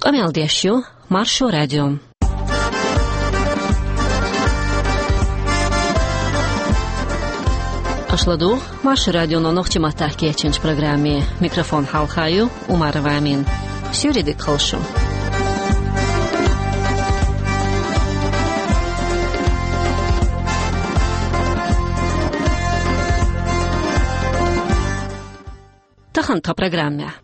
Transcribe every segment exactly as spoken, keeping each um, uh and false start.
Къамел деш ю Маршо радио. Аша ладугӀу Маршо радионо нохчийн маттахь кечйинчу программе. Микрофон хьалха ю Умарова Амина. Суьйре дика хуьлда шун. Тахана тхан программехь.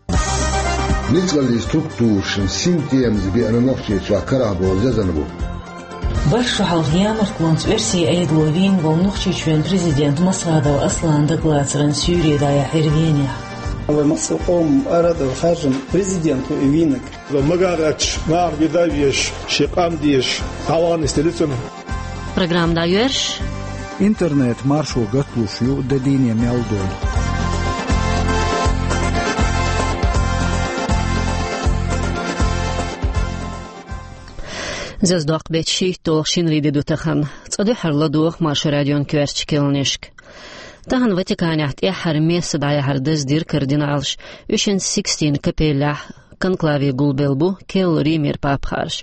Ницкъаллин структурашна синтемаза беана Нохчийчохь карахь болу зезана бу. Барх шо хьалха ямартлонца Оьрсийн Ӏедало вийна волу Нохчийчоьнан президент Масхадов Аслан дагалацаран суьйре дӀаяьхьира Венехь. Вай массо а къоман арадала хаьржина президент ву и вийнарг. Магар гӀерташ, наха вида а везаш, шен къам дезаш, дӀавахана стеллицунна. Программа дӀайоьрзуш. Интернет маршо гаталуш ю де дийне мел долу. Заза доккху беттан шийтталгӀа шинарин де ду тахана. Цкъа дуьххьара ладогӀа Маршо радион коьртачу кхаьънашка. Тахана Ватиканехь тӀаьххьара месса дӀаяхьар даздира кардиналаша, уьш Сикстин капеллехь конклаве гулбелла бу керла Римера папа хаарш.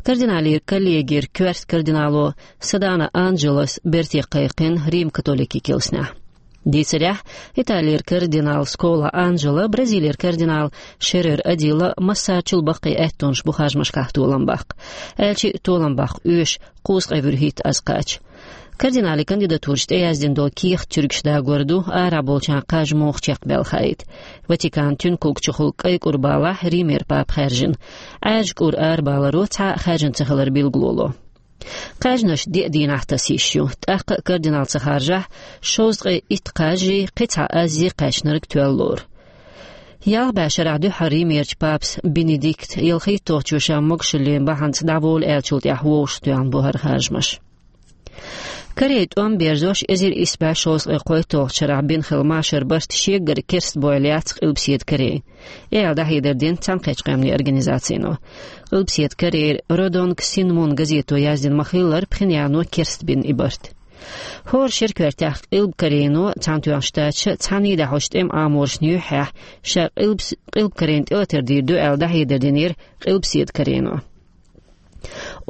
Кардиналийн коллегера коьрта кардинало Садана Анджелос берте кхайкхина Рим-католикийн килснехь. Дийцарехь, Италера кардинал Скола Анджело, Бразилера кардинал Шерер Адила массарчул баккхий аьттонаш бу харжамашкахь толам баккха. Аьлча а толам баккха оьшу, кхузткъе вуьрхӀитта аз кхача. Кардиналийн кандидатураш тӀеяздина долу кехат туьргаш дагор ду, арахь болчарна кхаж муха чекхбаьлла хаийта. Ватикан туьнан куьг чухула кӀайн кӀур балахь Римера папа хаьржина. Ӏаьржа кӀур арабаларо цхьа а хаьржина ца хилар билгало ло. Кхаьжнаш деа дийнахь таса йиш ю, тӀаккха а кардинал ца харжахь, шовзткъе итт кхаж а, кхин цхьа аз а кхаьчнарг тоьлла лору. Ялх бӀе шарахь дуьххьара Римерчу папас Бенедикт ялхитталгӀачо ша могушаллин бахьанца дӀаволу аьллачул тӀаьхьа вовшахтоьхна бу хӀара харжамаш. Корей тӀом берзош эзар исс бӀе шовзткъе кхойтталгӀачу шарахь бина хилла машар барт шегара керста бойла яц Къилбаседа Корейн. И аьлла дӀахьедар дина Цхьаьнакхеттачу Къаьмнийн Организацино. Къилбаседа Корейра Родонг Синмун газето яздина ма-хиллара, Пхеньяно керста бина и барт. ХӀора шеран коьртехь Къилба Корейно, Цхьаьнатоьхначу Штаташа цхьаьний дӀахьочу тӀеман Ӏаморшна юьххьехь, ша Къилбас-, Къилба Корейна тӀелатар дийр ду аьлла дӀахьедар динера Къилбаседа Корейно.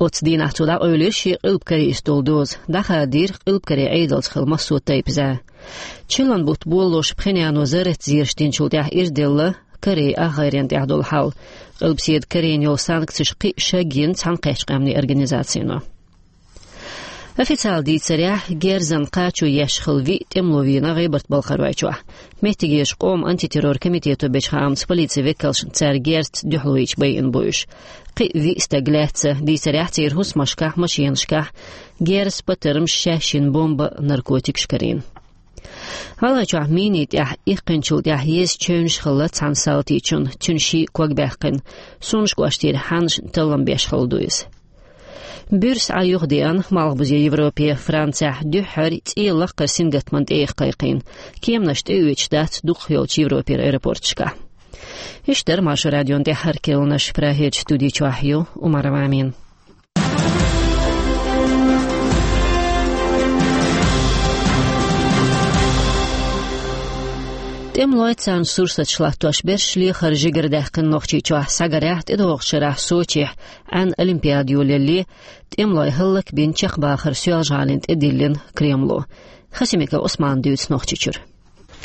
Оццу дийнахь цо дӀакъевлира шен Къилба Корейс долу доза, дӀахадийра Къилба Корейн Ӏедалца хилла массо а тайпа зӀе. Чиллан бутт болалуш Пхеньяно зарратан зераш динчул тӀаьхьа ирделла Корейн ахгӀайренна тӀехь долу хьал. Къилбаседа Корейна йолу санкцеш кхин а шагйина Цхьаьнакхеттачу Къаьмнийн Организацино. Официалан дийцарехь, герзан кхачо еш хилла виъ тӀемало вийна ГӀебарта-Балкхаройчохь. Меттигерчу къоман антитеррор комитето бечу хаамца, полицин векалшна цара герзаца дуьхьало йича байина бу уьш. Кхин а виъ стаг лаьцна, дийцарехь, церан хӀусамашкахь, машенашкахь герз, патармаш, шаьш йина бомба, наркотикаш карийна. ГӀалгӀайчохь минийн тӀехь иккхинчул тӀаьхьа еза чевнаш хилла цхьана салтичун, цуьнан ший ког баьккхина. Сунжа кӀоштара хьаннашна таллам беш хилла ду иза. Буьрса Ӏа юхадеана Малхбузе Европе, Францехь дуьххьара цӀе лаккхара сингаттаман тӀе яха кхайкхийна. Кеманаш тӀеоьцуш дац дукхахйолчу Европера аэропорташкахь. Иштта дара Маршо радион тӀаьххьара кхаьънаш. Прагерчу студи чохь ю Умарова Амина. ТӀемалой, царна сурсаташ латтош берш лехар жигара даьккхина Нохчийчохь. Схьагарехь, тӀедогӀучу шарахь Сочихь Ӏаьнан олимпиада йолаяле, тӀемалой хӀаллакбина чекхбахар Соьлжа-ГӀалина тӀедиллина Кремло. Хасимиков Ӏусмана дуьйцу Нохчийчуьра.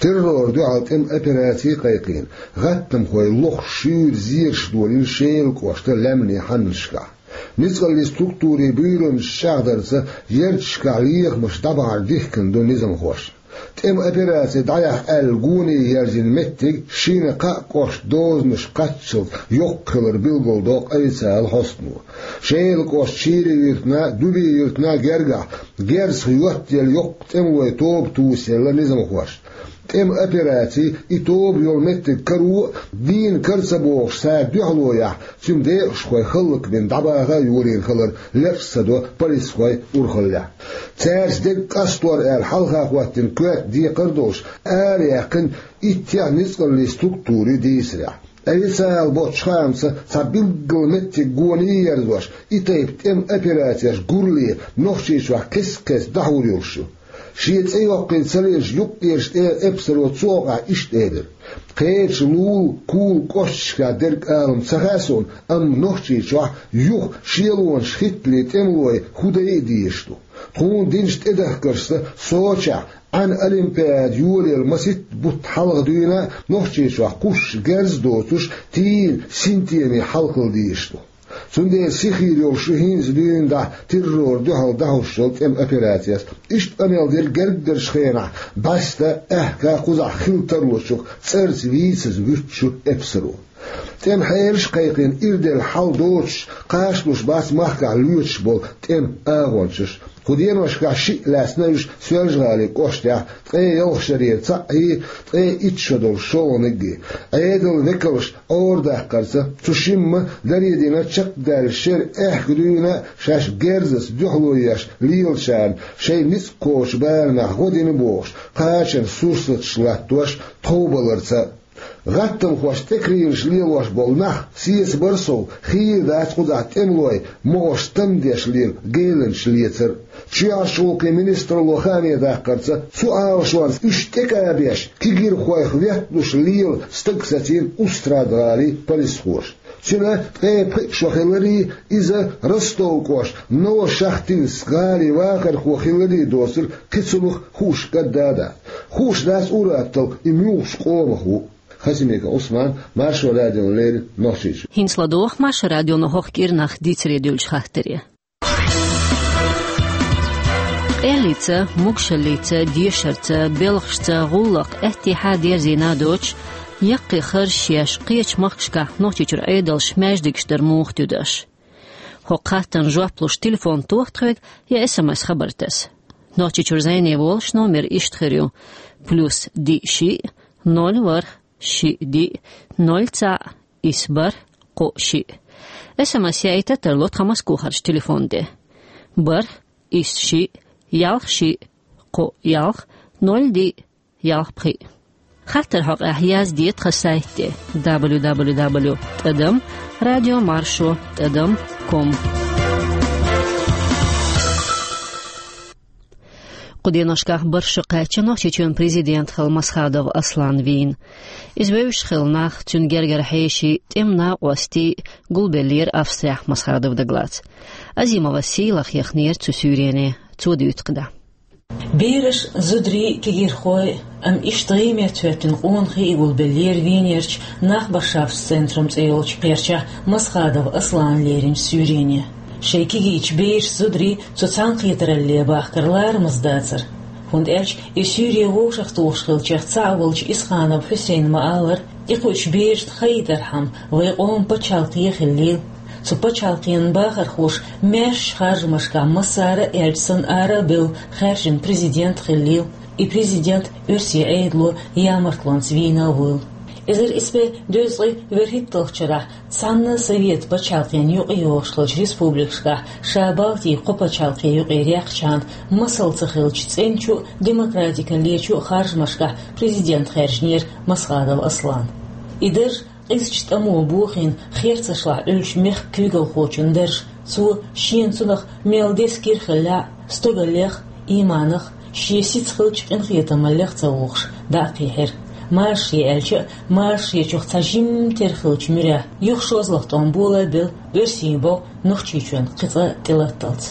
Террорна дуьхьал тӀеман операци кхайкхийна, гӀаттамхой лохуш шуьйра зераш долийна Шелан кӀоштан лаьмнийн хьаннашкахь. Ницкъаллин структурийн буьйранаш чӀагӀдарца, ярташкахь лехамаш дӀабахьар дихкина ду низамхошна. ТӀеман операци дӀаяхьа аьлла гоне ерзийна меттиг шина-кхаа кӀоштан дозанаш кхаччалц йоккха хилар билгалдоккху официалан хьостано. Шелан кӀоштан Ширин-Юьртана, Дубин-Юьртана гергахь герзах йоттаелла йоккха тӀемалойн тоба тосаелла низамхошна. ТӀеман операци, и тоба йолу меттиг каро а, дийна кара ца богӀуш, цара дуьхьало яхь, цуьнан декъашхой хӀаллакбина дӀабаха а йолийна хилар лечкъа ца до полисхойн урхаллехь. Цаьрца дерг къастор аьлла хьалха хӀоттийна коьрта декхар а долуш, араяьккхина иттех ницкъаллин структура ю дийцарехь. Официалан боцчу хаамца, цхьа билггал меттиг гоне ерзош, и тайпа тӀеман операцеш гурале Нохчийчохь кхез-кхеза дӀахьур йолуш ю. Шен цӀе йоккхийна ца лелаш юккъерчу тӀера эпсаро цу хьокъехь иштта элира: «Кхечу Лула, Кула кӀошташкахь дерг алам ца хаьа суна, амма Нохчийчохь юха шелонаш хӀиттале тӀемалой хӀу дайа а дезаш ду. Тхуна динчу тӀедахкаршца Сочехь Ӏаьнан олимпиада йолаелла масийтта бутт хьалха дуьйна а Нохчийчохь кхуссуш герз а доцуш, тийна синтеме хьалхалла дезаш ду. Цундела сихъйийр йолуш ю хӀинца дуьйна дӀа террорна дуьхьал дӀахьуш йолу тӀеман операцеш». Иштта къамел дира герггарчу хенахь бӀаьста, аьхка кхузахь хила тарлучух цӀарца вийцаза вуьтучу эпсаро. ТӀеман хьелаш а кхайкхина, ирделла хьал доцуш, кхачалуш бац махкахь лоьцуш болу тӀеман агӀончаш. Кху деношкахь шиъ лаьцна уьш Соьлжа-ГӀалин кӀоштехь, ткъе ялх шарера цхьаъ, ткъе итт шо долуш шолгӀаниг а. Ӏедалан векалш Ӏорадаккхарца, цу шимма даре дина чекхдаьлла шеран аьхка дуьйна а шаьш герзаца дуьхьало еш лелачарна шайн ницкъ кхочу барамехь гӀо дина бохуш, кхачанан сурсаташ латтош, тховбаларца а. ГӀаттамхошца тӀекарийнаш лелош болу нах сецабар сов, хийра дац кхузахь тӀемалой могӀарш тан деш лела геланчаш лецар а. Чоьхьарчу гӀуллакхийн министралло хааме даккхарца, цу Ӏалашонца уьш тӀекӀабеш, кегирхойх ветталуш лела стаг сацийна Устрада-ГӀалин полисхоша. Цуьнан ткъе пхи шо хиларий, иза Ростов кӀоштан Новошахтинск-ГӀалин вахархо хиларий доцург кхин цунах хууш кӀадда а дац. Хууш дац ур-атталла и муьлхачу къомах ву. Хасимиков Ӏусман, Маршо радиона леррина, Нохчийчуьра. ХӀинца ладогӀа Маршо радион хӀокху кӀирнах дийцаре дуьллучу хаттаре. Къеллица, могушаллица, дешарца, белхашца, гӀуллакх, аьттехьа дерзийна а доцуш, яккхий харжаш еш, кхечу махкашкахь Нохчийчуьра Ӏедалша маьждигаш дар муха туьду аша? ХӀокху хаттарна жоп луш телефон тоха тхоьга я эс эм эс хабар таса. Нохчийчуьра зӀене волуш номер иштта хир ю: плюс диъ шиъ, ноль ворхӀ, шиъ диъ, ноль цхьаъ, исс бархӀ, кхоъ шиъ. Эс эм эс яийта тарло тхан Москохарчу телефон тӀе: бархӀ, исс шиъ, ялх шиъ, кхоъ ялх, ноль диъ, ялх пхиъ. Хаттарна хьокъехь язде тхан сайта тӀе: дабл ю дабл ю дабл ю тӀадам радио маршо тӀадам ком. Кху деношкахь бархӀ шо кхаьчна Нохчийчоьнан президент хилла Масхадов Аслан вийна. Иза вевзаш хилла нах, цуьнан гергара хьеший, тӀеман накъостий гулбеллера Австрехь Масхадов Даглас. Азимова Сийлаха яхнера цу суьйрене, цо дуьйцу кхидӀа. Бераш, зударий, кегирхой, амма иштта гӀиймет хӀоьттина къонахий гулбеллера Венерчу Нахбаршафтс центрум цӀе йолчу кхерчахь Масхадов Аслана леринчу суьйрене. Шайн кегийчу бераш, зударий цу цхьаьнакхетаралле бахкар ларамаза дацара, хӀунда аьлча и суьйре вовшахтухуш хиллачех цхьаъ волчу Исханов Хьусейна ма-аллара, и кхуьучу берашна хаийтархьама вайн къоман пачхьалкхе хиллийла. Цу пачхьалкхенан бахархоша маьршачу харжамашкахь массара а аьлча санна ара а бевлла хаьржина президент хиллийла. И президент оьрсийн Ӏедало ямартлонца вийна а вуйла. Эзар исс бӀе дезткъе вуьрхӀитталгӀачу шарахь цхьана а Совет пачхьалкхенна юкъа йогӀуш хиллачу республикашкахь ша Балтийн кхо пачхьалкхе юкъера яьккхачхьана масал ца хиллачу цӀеначу а, демократикаллечу а харжамашкахь президент хаьржинера Масхадов Аслан. И дарж къизачу тӀамо бохийна, херцашлахь Ӏуьллучу мехкан куьйгалхочун дарж. Цо шена цунах мел деза кира хиллехь а, стогаллех а, ийманах а, шен сица хиллачу къинхетамаллех а ца вухуш, дӀа а кхийхьира. Марша е аьлча а, марша ечух цхьа жимма тера хиллачу муьрехь, юха шозлагӀа тӀом болабелла оьрсийн бӀо Нохчийчоьнна кхин цкъа а тӀелатталц.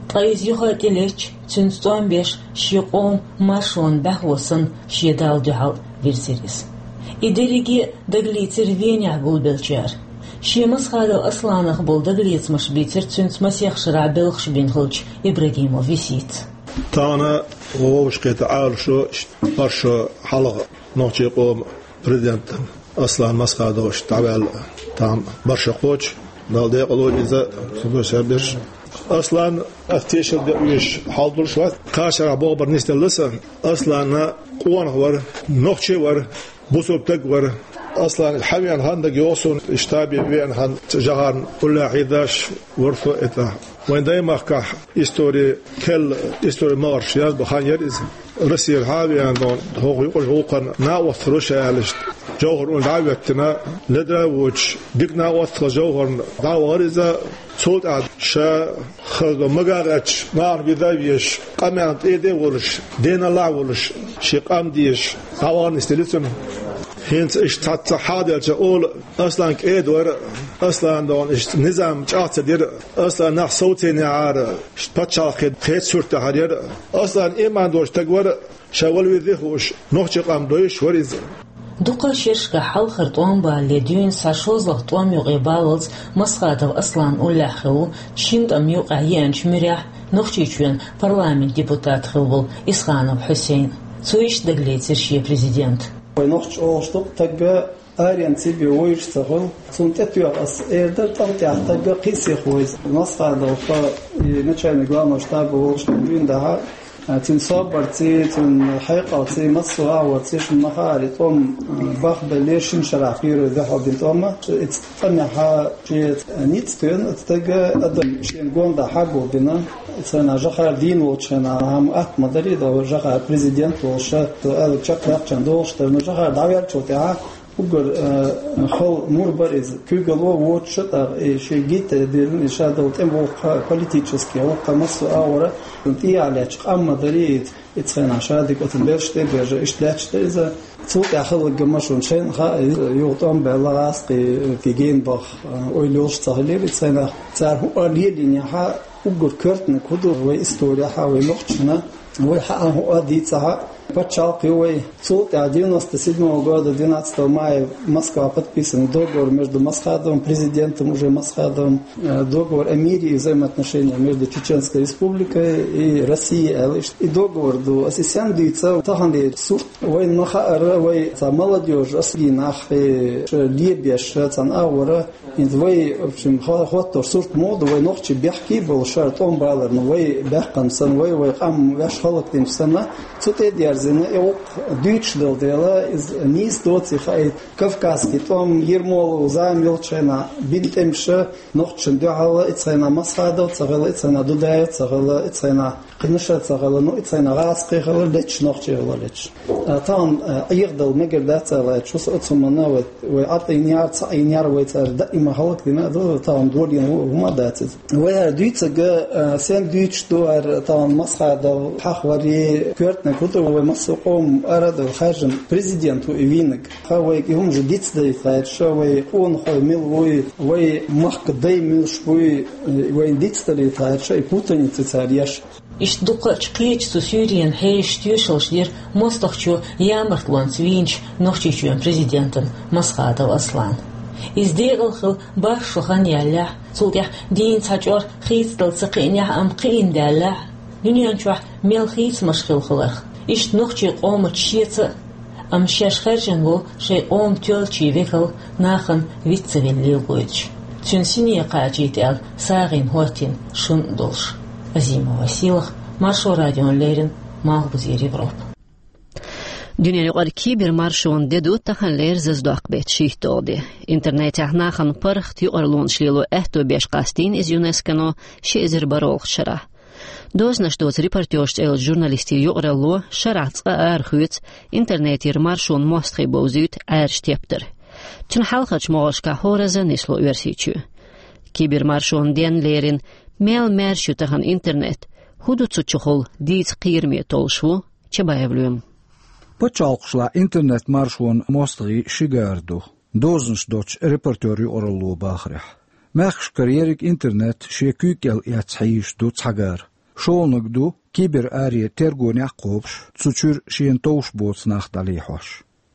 Ткъа иза юха а тӀелетташ, цуьнца тӀом беш, шен къоман маршонан бӀаьхо санна, шен Далла дуьхьал вирзира иза. И дерриге а дагалецира Венехь гулбеллачара. Шен Масхадов Асланах болу дагалецамаш бийцира цуьнца масех шарахь белхаш бина хиллачу Ибрагимов Висита. Тахана вовшахкхетта Ӏалашо, бархӀ шо хьалха нохчийн къоман президент Аслан Масхадович дӀаваьлла тахана бархӀ шо кхочу, Далла декъала войла иза, цуьнан саберш. Аслан, ас тешал бен оьшуш хьал долуш вац, кхачарахь бохург нисделла сан. Аслан къонах вара, нохчи вара, бусалба стаг вара. Аслан хьавеана хан дага йогӀу суна, штабе веана хан, Жохарна уллохь хьийзаш вара со и тӀехь. Вайн даймахкахь истори, керла истори магӀарш язбан хан яра иза. Россера хьа а веана, хӀокху юкъарчу гӀуллакхана накъост хир ву ша аьлла иштта, Жохар уьш дӀа а хӀоьттина, ледара а воцуш, дика накъост хилла Жохарна дӀа а вахара иза. Цул тӀаьхьа Ша хаза магагӀача нахана вида веш, къаман тӀеде а волуш, денал а волуш, ши къам дезаш, дӀавахана стилицун. ХӀинца иштта цхьацца хьаделча ола, Аслан кӀеда вара, Аслан дон иштта низам чӀагӀ ца дира, Аслан нах совцийнехьара, иштта пачхьалкхе хеца сурт тӀехьара яра. Аслан иман долуш таг вара, ша вала вирде хууш, нохчи къам дойуш вара иза. Дукха шерашка хьалхара тӀом балале дуьйна схьа шозлагӀа тӀом юкъе баллалц Масхадов Аслан уллехь хилла ву шина тӀамна юкъахь еанчу муьрехь Нохчийчоьнан парламент депутат хилла волу Исханов Хьусейн. Цо иштта дагалецира шен президент. Вай нохчо олуш ду-кх, тагга аренца бен вуьйш ца хуьлу. Цунна тӀетоьхна ас эр дара, тӀам тӀехь тагга кхин сиха ву иза. Масхадов-ха и начальник главного штаба волуш дуьйна дахьа, а, цуьнан собарций, цуьнан хьекъалций, массо а агӀорций шуна ма хаьара, и тӀом, а, бахбелла шина шарахь первый дуьхьал дина тӀом. Ица тӀамехьа шен ницкъ тоьхна, оцу тагга адам шена гондӀа хьагулбина. Цхьана Жохар дийна волчу хенахь хӀама атта ма дарий, Жохар президент волуш, аьлла чекхъяьккхина долуш дара, но Жохар дӀаваьллачул тӀаьхьа уггар, э, хала мур бара иза. Куьйгалла воцуш а тӀаккха, и шен гита дирна, и ша долу тӀеман воккха, политический воккха массо а агӀора, тӀехьа лаьтташ къам ма дарий иза. Ицхьана ша дика оцу берш тӀе а бежа, иштта лаьтташ дара иза. Цул тӀаьхьа хала гамма шуна шайна хаьа, иза юха тӀом баьлла гӀазкхий, кхин гена баха, э, ойла йолуш ца хилира. Ицхьана цара хӀун а лелийнехьа, уггар коьртаниг хӀун ду вай историяхьа, вай нохчашна, вай хьаьа хӀун а дийцахьа, пачхьалкх ю вай. Цул тӀаьхьа девяносто седьмого года двенадцатого мая в Москва подписан договор между Масхадовым, президентом уже Масхадовым, э, договор о мире и взаимоотношениях между Чеченской Республикой и Россией, аьлла иштта. И договор ду, ас и сенна дуьйцу, тахана дийца сурт вайна ма хаьара, вай цхьа молодёжь, ас гина нах, э, ша лебеш, ша цхьана агӀора, хӀинца вай, в общем, хо-, хӀоттош сурт ма ду, вай нохчий бехке а болуш шара тӀом баларна, вай баьккхина санна, вай, вай къам ваьш хӀаллакдинчу санна, цу тӀе а дерзина, и гӀуллакх дуьйцуш долу дела, иза нийса доций хаийта, кавказский тӀом, Ермолов зама йолчу хенахь бина тӀемаш, нохчашна дуьхьал, ицхьана Масхадов ца хилла, ицхьана Дудаев ца хилла, ицхьана Кхин ша ца хилла, ну, ицхьана гӀазкхий хилла леташ, нохчий хилла леташ. А, тахана, а, Ӏехадала мегар дац аьлла, чус оцу хӀуманна вай, вай Ӏад Ӏийна яра, ца Ӏийна яра, вай цара даима хӀаллакдина а ду, тахана долийна хӀу-, хӀума а дац иза. Вай хӀара дуьйцург, а, сенна дуьйцуш ду хӀара, тахана Масхадов хьахаварий, коьртаниг хӀун ду, вай массо а къоман ара а даьлла хаьржина президент ву и вийнарг. Хьа вайга и хӀума жа дицдалийта хаьржа, вай къонахой мила вуй, вай махка дай муьлш буй, вайна дицдалийта хаьржа, и путаница цара еш. Иштта дукхачу кхечу цу суьйренан хьешан тоьшаллаш дира мостагӀчо ямартлонца вийначу Нохчийчоьнан президентана Масхадов Аслана. Иза декъала хилла бархӀ шо хан яьллехь, цул тӀаьхьа дийна цхьа чӀор хийцадала ца кхиънехь, амма кхиъна даьллехь, дуьнен чохь мел хийцамаш хилла хиларх. Иштта нохчийн къомаца шеца а, амма шаьш хаьржина волу шайн къоман тоьллачийн векал нахана виц ца велла лелойтуш. Цуьнан сине кхачийта аьлла сагӀина хӀоттийна шун а долуш. Азимова Сийлаха, Маршо радиона леррина, Малхбузера Европа. Дуьненаюкъара кибермаршонан де ду таханлера зазадоккху беттан шийтталгӀа де. Интернетехь нахана паргӀат юкъарлонаш лело аьтто беш къастийна иза ЮНЕСКОно ши эзар бархӀалгӀачу шарахь. Дозанаш доцу «Репортёрш» цӀе йолчу журналистийн юкъаралло шарахь цкъа арахоьцу интернетера маршонан мостагӀий бовзуьйту Ӏаьржа тептар. Цуьнан хьалхарчу могӀаршкахь хӀоразза нисло Оьрсийчоь. Кибермаршонан денна лерина, мел маьрша ю тахана интернет, хӀун ду цу чухула дийца кхераме толлуш ву Чабаев Лоьма. Пачхьалкхашлахь интернет-маршонан мостагӀий ши гара ду, дозанаш доцчу «Репортёр» юкъаралло бахарехь. Мехкашкара ерриг интернет шен куьйга кӀел эцна хьийзаш ду цхьа гара. ШолгӀаниг ду кибераре тергонехь а кхобуш, цу чуьра шена товш боцу нах дӀалехьош.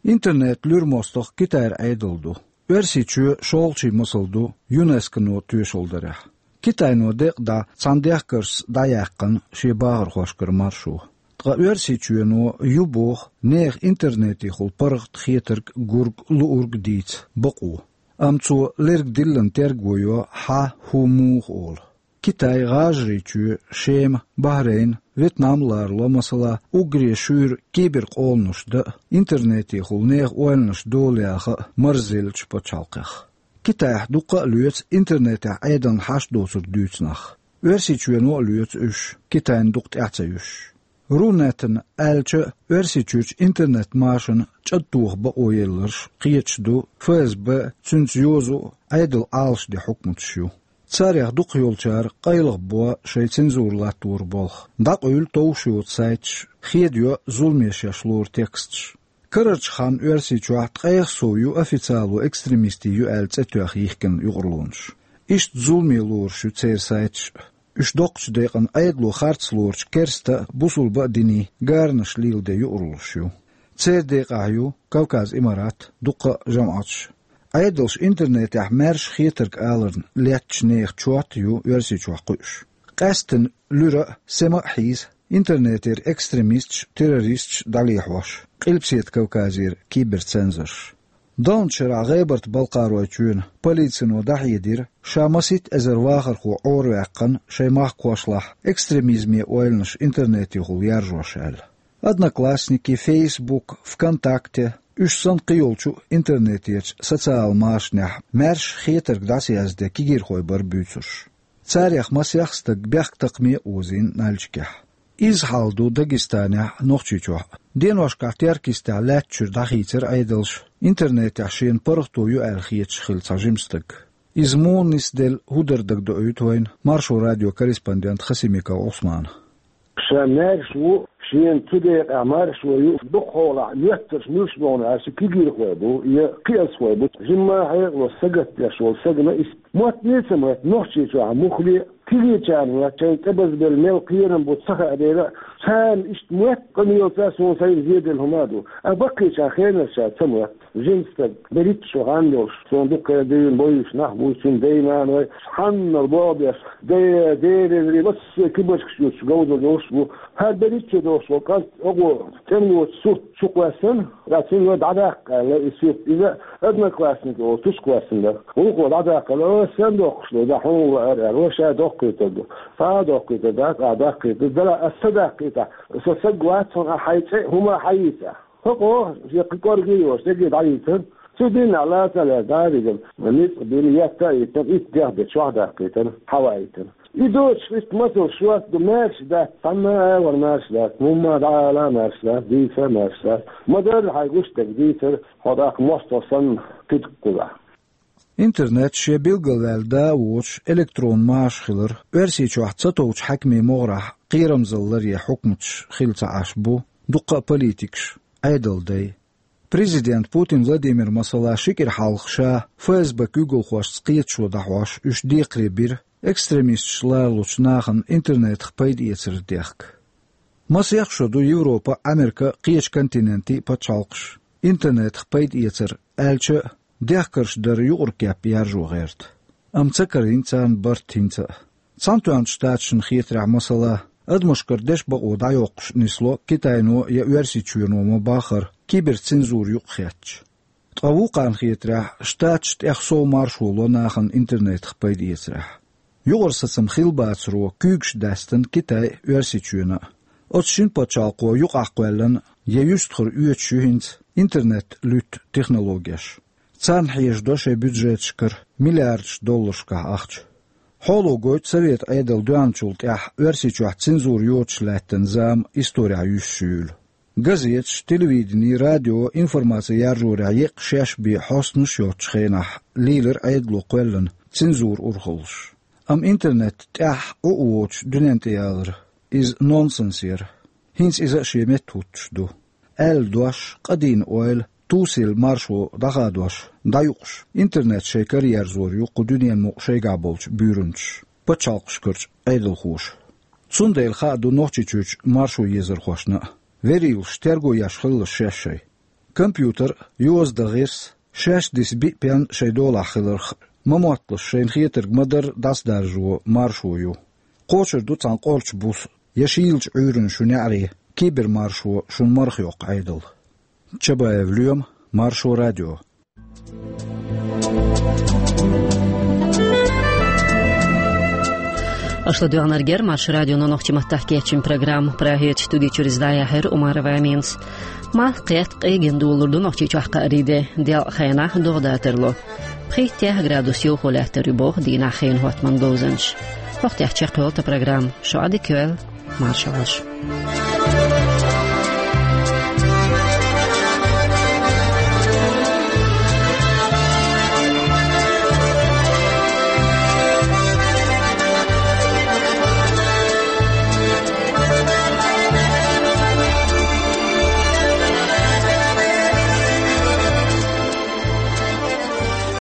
Интернет луьра мостагӀ Китайра Ӏедал ду. Оьрсийчоь шолгӀачийн масал ду ЮНЕСКОно тоьшалла дарехь. Китайно декъа дӀа цхьана дехкаршца дӀаяьккхина шен бахархошкара маршо. Ткъа Оьрсийчоьно ю боху нехан интернетехула паргӀат хетарг, гург, луург дийца бакъо. Амма цо лерг диллина терго йо, хьан, хӀун, муха олу. Китай ГӀажарийчоь, Шема, Бахрейн, Вьетнам ларало, масала, уггаре шуьйра киберкъоланаш дан а, интернетехула нехан ойланаш дола яха а марзза еллачу пачхьалкхех. Китайхь дуккха а лоьцу интернетехь Ӏедална хьашт доцург дуьйцу нах. Оьрсийчоьно а лоьцу уьш, Китайна дукха тӀаьхьа ца юьсуш. Рунетана аьлча, Оьрсийчуьрчу интернет-машанна чӀагӀтоха бакъо елларш кхеташ ду ФСБ, цуьнца йозу а, Ӏедал Ӏалашден хьукматаш ю. Царех дукхах йолчара къайлаха бо шайн цензура латтор болх. ДӀакъуьйлу товш йоцу сайташ, хедайо зуламе шаьш лору тексташ. Карарчу ханна Оьрсийчохь ткъех сов ю официало экстремистийн ю аьлла цӀе тоьхна йихкина юкъарлонаш. Иштта зуламе лоруш ю церан сайташ а. Уьш доккхачу декъана Ӏедало харц лоручу керста а, бусулба а динийн гаранаш леладен юкъарлонаш ю. Церан декъехь ю Кавказ Имарат, дуккха а жамӀаташ. Ӏедалша интернетехь маьрша хетарг аларна леттачу нехан чот а ю Оьрсийчохь кхуьуш. Къаьсттина луьра а, сема а хьийза интернетера экстремисташ а, террористаш а дӀалехьош Къилбаседа Кавказера киберцензорш. Далначу шарахь ГӀебарта-Балкхаройчоьнан полицино дӀахьедира, ша масийтта эзар вахархо Ӏораваьккхина шайн махкахошлахь экстремизме ойланаш интернетехула яржош аьлла. Одноклассники, Фейсбук, ВКонтакте, уьш санна кхийолчу интернетерчу социал машанехь маьрша хетарг дӀасаязде кегийрхой бара буьйцурш. Царех масех стаг бехктакхаме а озийна Нальчикехь. Изза хьал ду Дагестанехь а, Нохчийчохь а. Деношкахь Теркйистехь лаьттачуьра дӀахийцира Ӏедалша интернетехь шена паргӀато ю аьлла хеташ хилла цхьа жима стаг. Иза муха нисделла, хӀун дара дагадоуьйту вайна Маршо радион корреспондента Хасимиков Ӏусмана. Ша маьрша ву, шена цу декъехь маршо ю, дукхахьолахь моьттарш муьлш боху аьлча кегийрхой бу я кхиазхой бу. Жимма а хьекъало сагатдеш волу сагана иштта мотт ца моьтту Нохчийчохь муххале а, кегийчарна моьтту шайна тӀебазбелла мел кхерам бу ца хаа дела а, царна иштта моьтту къамелаца суна сайна зеделла хӀума а ду. А баккхийчарна хенарчарна ца моьтту. Жима стаг, берхӀитта шо хан долуш, суна дуккха а дуьйна бойуш нах бу, цуьнан дай-наной, цхьаннал боху беш, де-, дерриг массо а кибарчаш юьтуш говза долуш бу. ХӀара берхӀитта шо долуш волу кӀант оха цӀенлочу сурт чу кхоьссина, ткъа цуьнга дӀадаккха аьлла и сурт. Иза Одноклассники олу тушка кхоьссина дара. Вукхо дӀадаккхина, о, стен доккхуш ду, да хьуна лаьара аьлла, ша доккхуьйтур ду. Цхьа а доккхуьйтур дац, ахь даккхуьйтур дара, аса ца даккхийта, со саг вац хьуна, ахь хьайн цӀе а, хӀума а хьаийца. ХӀокхо, шен кхин кӀорге а йолуш, дерриге дӀахьийцира. Цу дийнахь лаца а лаьцна, дӀа а вигна, ницкъ бина, етта а йиттина, итт дехьа бен чохь даккхийтина, хьаваийтина. И доцуш иштта масал шорта ду, маьрша дац, цхьанна а агӀор маьрша дац, муха дӀаала а маьрша дац, дийца а маьрша дац. Ма-дарра хьайн гуш дерг дийцар, хьо тӀаккха мостагӀа санна кхидӀа кхузахь. Интернет шен билгалваьлла да а воцуш, электрон маша хилар, Оьрсийчохь ца товчу хьаькамийн могӀарехь кхерамзалла ларъян хьукматаш хилла ца Ӏаш бу дуккха а политикаш, Ӏедалдай. Президент Путин Владимир, масала, ши кӀира хьалха ша ФСБ куьйгалхошца кхеташо дӀахьош, уьш декхаре бира экстремисташ лоруш болчу нахана интернетах пайда эцар дехка. Масех шо ду Европа а, Америка а, кхечу континентийн а пачхьалкхаш интернетах пайда эцар аьлча а, дехкарш дар юкъара кеп яржо гӀерта. Амма ца карийна царна барт хӀинца а. Цхьаьнатоьхначу Штаташна хетарехь, масала, адамашкара дешан бакъо дӀайоккхуш нисло Китайно я Оьрсийчоьно ма-баххара киберцензура юкъахетташ. Ткъа вукхарна хетарехь, Штаташ тӀех сов маршо ло нахана интернетах пайда эцарехь. Юкъара сацам хилла бацаро куьйгаш даьстина Китай а, Оьрсийчоьнан а. Оцу шина пачхьалкхо юкъахкхоьллина я юьстахара оьцуш ю хӀинца интернет луьтту технологеш. Царна хьежадо шайн бюджеташкара миллиардаш долларшкахь ахча. Хьоло гойту Совет Ӏедал доьхначул тӀаьхьа Оьрсийчохь цензура йоцуш лаьттина зама исторехь юьсуш юйла. Газеташ, телевидени, радио информаци яржорехь еккъа шаьш бен хьостанаш а йоцучу хенахь лийлира Ӏедало кхоьллина цензура урхаллаш. Амма интернет тӀаьхьа Ӏу а воцуш дуьнен тӀе ялар, иза нонсенс яра. ХӀинца иза а шен метта хӀуттуш ду. Аьлла дош, къадийна ойла, тусийла маршо дӀахадош, дӀаюкъуш, интернет шайн караерзор ю кху дуьненан мукъа шайгахь болчу буьйранчаша, пачхьалкхашкарчу Ӏедалхоша. Цундела хаа ду Нохчийчуьрчу маршо езархошна а, верийлаш терго еш хилла шаьш шайн. Компьютер а, йоза дан гӀирс а, шаьш диса биъ пен а шайн долахь хиларх а, ма-мотталаш шайна хетарг ма-дарра дӀасадаржо маршо ю. Кхочур ду цхьана къорчу буса я шийлачу Ӏуьйранна шун неӀаре кибермаршо шуна марха йоккху Ӏедал. Чабаев Лоьма, Маршо радио. Аша ладоьгӀнарг яра Маршо радионо нохчийн маттахь кечйина программа. Прагерчу студи чуьра иза дӀаяьхьира Умарова Аминас. Малх кхетта, къегина долалур ду Нохчийчохь кхаарин де, делкъа хенахь догӀа датар ло. Пхийтта-деха градус йовхо лаьттар ю боху дийнахь хенан хӀоттаман говзанчаша. ХӀокху тӀехь чекхйолу тхан программа. Шун Ӏадика йойла, марша Ӏойла.